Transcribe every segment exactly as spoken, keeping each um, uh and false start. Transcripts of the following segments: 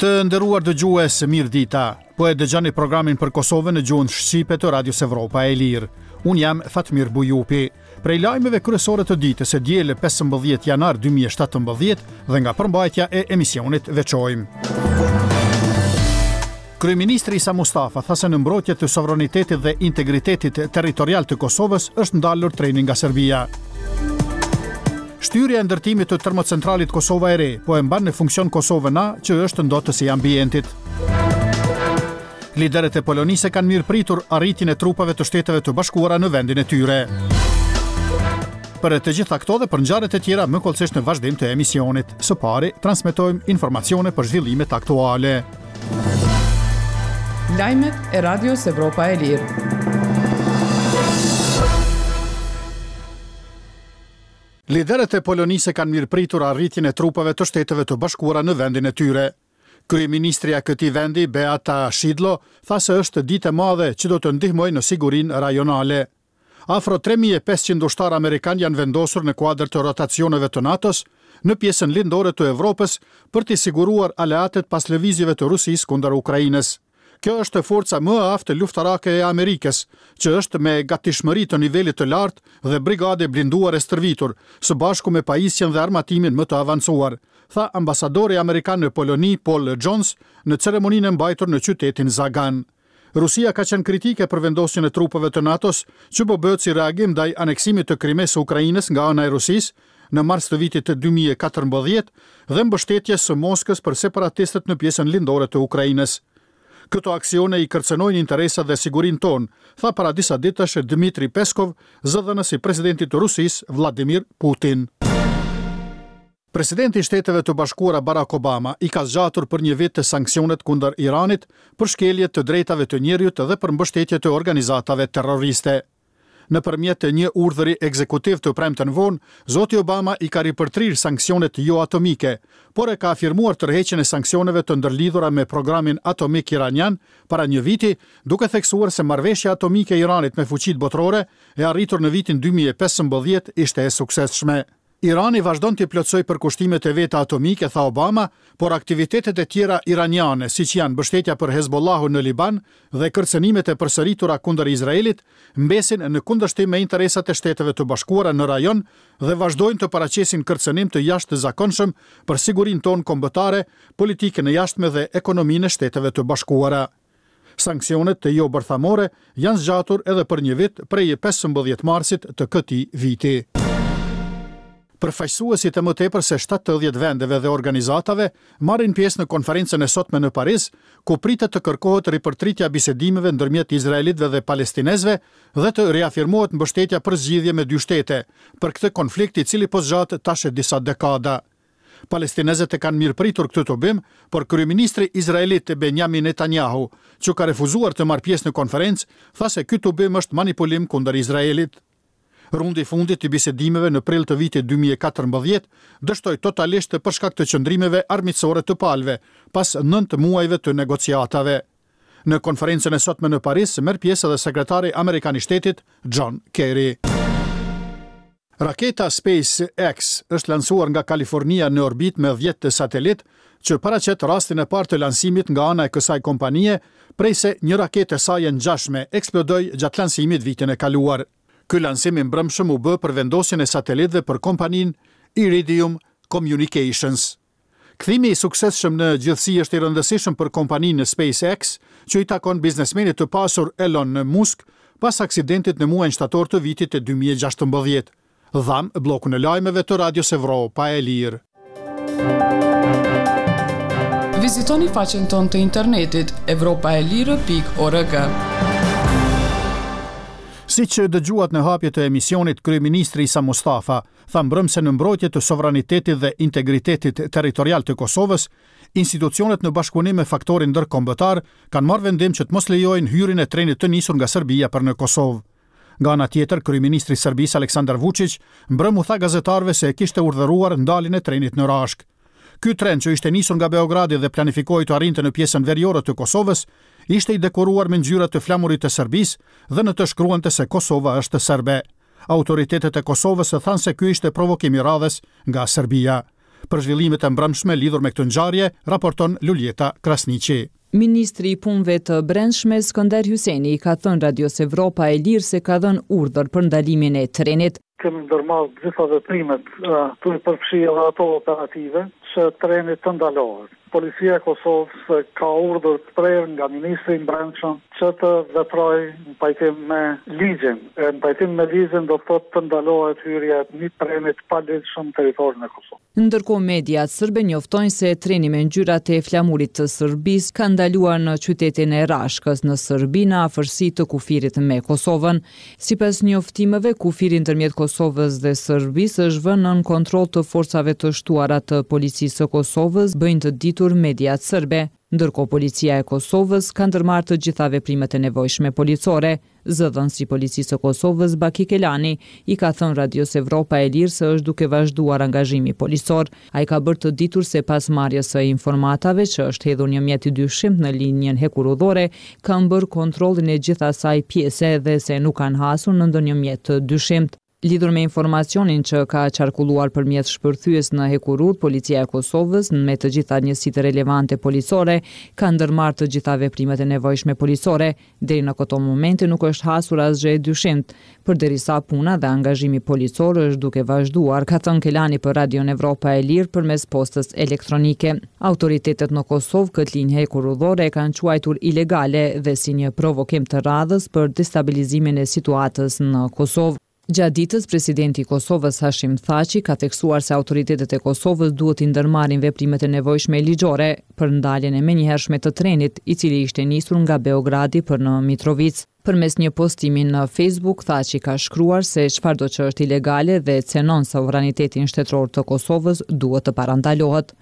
Të nderuar dëgjues, mirë dita. Po e dëgjoni programin për Kosovën në gjuhën shqipe të Radios Evropa e Lirë. Unë jam Fatmir Bujupi. Prej lajmeve kryesore të ditës së dielë pesëmbëdhjetë janar dy mijë e shtatëmbëdhjetë dhe nga përmbajtja e emisionit veçojmë. Kryeministri Isa Mustafa tha se në mbrojtje të sovranitetit dhe integritetit territorial të Kosovës është ndalur treni nga Serbia. Shtyrja e ndërtimit të termocentralit Kosova e Re po e mban në funksion Kosovën A, që është ndotësi i ambientit. Liderët e Polonisë kanë mirëpritur arritjen e trupave të Shteteve të Bashkuara në vendin e tyre. Për të gjitha këto dhe për ngjarjet e tjera më hollësisht në vazhdim të emisionit. Së pari, transmetojmë informacione për zhvillimet aktuale. Lajmet e Radios Evropa e Lirë. Liderët e Polonisë kanë mirëpritur arritjen e trupave të Shteteve të Bashkuara në vendin e tyre. Kryeministrja e këtij vendi, Beata Szydlo, tha se është ditë e madhe që do të ndihmojë në sigurinë rajonale. Afro tre mijë e pesëqind ushtarë amerikan janë vendosur në kuadër të rotacioneve të NATO-s në pjesën lindore të Evropës për t'i siguruar aleatët pas lëvizjeve të Rusisë kundër Ukrainës. Kjo është forca më e aftë luftarake e Amerikës, që është me gatishmëri të nivelit të lartë dhe brigade blinduar e stërvitur, së bashku me pajisjen dhe armatimin më të avancuar, tha ambasadori amerikan në Poloni, Paul Jones, në ceremoninë e mbajtur në qytetin Zagan. Rusia ka qenë kritike për vendosjen e trupave të NATO-s, që po bëhet si reagim ndaj aneksimit të Krimesë së Ukrainës nga ana e Rusisë në mars të vitit dy mijë e katërmbëdhjetë dhe mbështetjes së Moskës për separatistët në pjesën lindore të Ukrainës. Këto aksione i kërcënojnë interesat dhe sigurinë tonë, tha para disa ditësh Dmitri Peskov, zëdhënës i presidentit të Rusisë, Vladimir Putin. Presidenti i Shteteve të Bashkuara, Barack Obama, i ka zgjatur për një vit të sanksionet kundër Iranit për shkelje të drejtave të njeriut dhe për mbështetje të organizatave terroriste. Nëpërmjet të një urdhëri ekzekutiv të premten vonë, zoti Obama i ka ripërtrir sanksionet jo atomike, por e ka afirmuar tërheqjen e sanksioneve të ndërlidhura me programin atomik iranian para një viti, duke theksuar se marrëveshja atomike e Iranit me fuqitë botërore e arritur në vitin dy mijë e pesëmbëdhjetë ishte e suksesshme. Irani vazhdon të plotësoj përkushtimet e veta atomike, tha Obama, por aktivitetet e tjera iraniane, siç janë mbështetja për Hezbollahun në Liban dhe kërcënimet e përsëritura kundër Izraelit, mbesin në kundërshtim me interesat e Shteteve të Bashkuara në rajon dhe vazhdojnë të paraqesin kërcënim të jashtëzakonshëm për sigurinë tonë kombëtare, politikën e jashtme dhe ekonominë e Shteteve të Bashkuara. Sanksionet të jo bërthamore janë zgjatur edhe për një vit prej pesëmbëdhjetë marsit të këtij viti. Përfaqësuesit e më tepër se shtatëdhjetë vendeve dhe organizatave marrin pjesë në konferencën e sotme në Paris, ku pritet të kërkohet ripërtritja e bisedimeve ndërmjet izraelitëve dhe palestinezëve dhe të riafirmohet mbështetja për zgjidhje me dy shtete për këtë konflikt, i cili po zgjat tash e disa dekada. Palestinezët e kanë mirëpritur këtë tubim, por kryeministri izraelit, Benjamin Netanyahu, që ka refuzuar të marrë pjesë në konferencë, tha se ky tubim është manipulim kundër Izraelit. Rundi i fundit i bisedimeve në prill të vitit dy mijë e katërmbëdhjetë dështoi totalisht për shkak të qëndrimeve armiqësore të palëve, pas nëntë muajve të negociatave. Në konferencën e sotme në Paris merr pjesë edhe sekretari amerikan i shtetit, John Kerry. Raketa SpaceX është lansuar nga Kalifornia në orbitë me dhjetë satelit, që paraqet rastin e parë të lansimit nga ana e kësaj kompanie, prej se një raketë e saj e ngjashme eksplodoi gjatë lansimit vitin e kaluar. Ky lansim i mbrëmshëm u bë për vendosjen e satelitëve për kompaninë Iridium Communications. Kthimi i suksesshëm në gjithësi është i rëndësishëm për kompaninë SpaceX, që i takon biznesmenit të pasur Elon Musk, pas aksidentit në muajin shtator të vitit të dy mijë e gjashtëmbëdhjetë. Dham bllokun e lajmeve të Radios Evropa e Lirë. Vizitoni faqen tonë të internetit evropaelire pikë org. Si që dëgjuat në hapje të emisionit, kryeministri Isa Mustafa tha mbrëmë se në mbrojtje të sovranitetit dhe integritetit territorial të Kosovës, institucionet në bashkëpunim me faktorin ndërkombëtar kanë marrë vendim që të mos lejojnë hyrjen e trenit të nisur nga Serbia për në Kosovë. Nga ana tjetër, kryeministri i Serbisë, Aleksandar Vučić, mbrëmë u tha gazetarëve se e kishte urdhëruar ndaljen e trenit në Rashk. Ky tren, që ishte nisur nga Beogradi dhe planifikohej të arrinte në pjesën veriore të Kosovës, ishte i dekoruar me ngjyrat të flamurit të Serbisë dhe në të shkruante se Kosova është serbe. Autoritetet e Kosovës thanë se ky ishte provokim i radhës nga Serbia. Për zhvillimet e mbrëmshme lidhur me këtë ngjarje, raporton Luljeta Krasniqi. Ministri i Punëve të Brendshme Skënder Hyseni i ka thënë Radios Evropa e Lirë se ka dhënë urdhër për ndalimin e trenit. Kemi ndërmarrë të gjitha veprimet, duke përfshirë edhe ato operative, që treni të ndalohet. Policia e Kosovës ka urdhër të prerë nga ministri i Brendshëm që të veprojë në pajtim me ligjin. E në pajtim me ligjin do të thotë të ndalohet hyrja e një treni të paligjshëm në territorin e Kosovës. Ndërkohë mediat sërbe njoftojnë se treni me ngjyrat e flamurit të Serbisë ka ndaluar në qytetin e Rashkës në Serbi në afërsi të kufirit me Kosovën. Sipas njoftimeve, kufiri ndërmjet Kosovës dhe Serbisë është vënë nën kontroll të forcave të shtuara të policisë së Kosovës, bëjnë të ditur mediat sërbe. Ndërkohë policia e Kosovës ka ndërmarrë të gjitha veprimet e nevojshme policore. Zëdhënësi i policisë së Kosovës, Baki Kelani, i ka thënë Radios Evropa e Lirë se është duke vazhduar angazhimi policor. Ai ka bërë të ditur se pas marrjes së informatave që është hedhur një mjet i dyshimtë në linjën hekurudhore, kanë bërë kontrollin e gjithë asaj pjese dhe se nuk kanë hasur në ndonjë mjet të dyshimtë. Lidhur me informacionin që ka qarkulluar për mjet shpërthyes në hekurudhë, Policia e Kosovës, me të gjitha njësitë relevante policore, ka ndërmarrë të gjitha veprimet e nevojshme policore. Deri në këto momente nuk është hasur asgjë e dyshimtë, përderisa puna dhe angazhimi policor është duke vazhduar, ka thënë Kelani për Radion Evropa e Lirë përmes postës elektronike. Autoritetet në Kosovë këtë linjë hekurudhore e kanë quajtur ilegale dhe si një provokim të radhës për destabilizimin e situatës në Kosovë. Gjatë ditës, presidenti i Kosovës Hashim Thaçi ka theksuar se autoritetet e Kosovës duhet t'i ndërmarrin veprimet e nevojshme ligjore për ndaljen e menjëhershme të trenit, i cili ishte nisur nga Beogradi për në Mitrovicë. Përmes një postimi në Facebook, Thaçi ka shkruar se çfarëdo që është ilegale dhe cenon sovranitetin shtetëror të Kosovës duhet të parandalohet.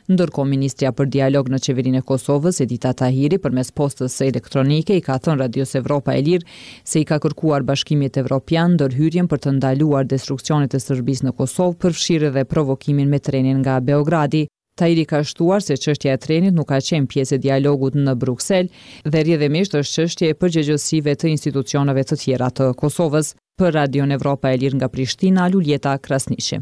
Ndërkohë, ministrja për dialog në qeverinë e Kosovës, Edita Tahiri, përmes postës elektronike i ka thënë Radios Evropa e Lirë se i ka kërkuar Bashkimit Evropian ndërhyrjen për të ndaluar destruksionet e Serbisë në Kosovë, përfshirë edhe provokimin me trenin nga Beogradi. Tahiri ka shtuar se çështja e trenit nuk ka qenë pjesë e dialogut në Bruksel dhe rrjedhimisht është çështje e përgjegjësive të institucioneve të tjera të Kosovës. Për Radion Evropa e Lirë nga Prishtina, Luljeta Krasniqi.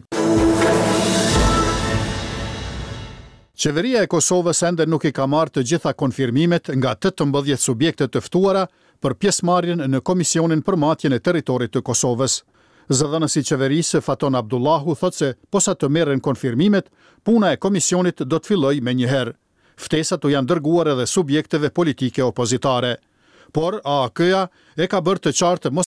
Qeveria e Kosovës ende nuk i ka marrë të gjitha konfirmimet nga tetëmbëdhjetë subjekte të ftuara për pjesëmarrjen në Komisionin për Matjen e Territorit të Kosovës. Zëdhënësi i qeverisë Faton Abdullahu thotë se posa të merren konfirmimet, puna e komisionit do të fillojë menjëherë. Ftesat u janë dërguar edhe subjekteve politike opozitare. Por A A K-ja e ka bërë të qartë mos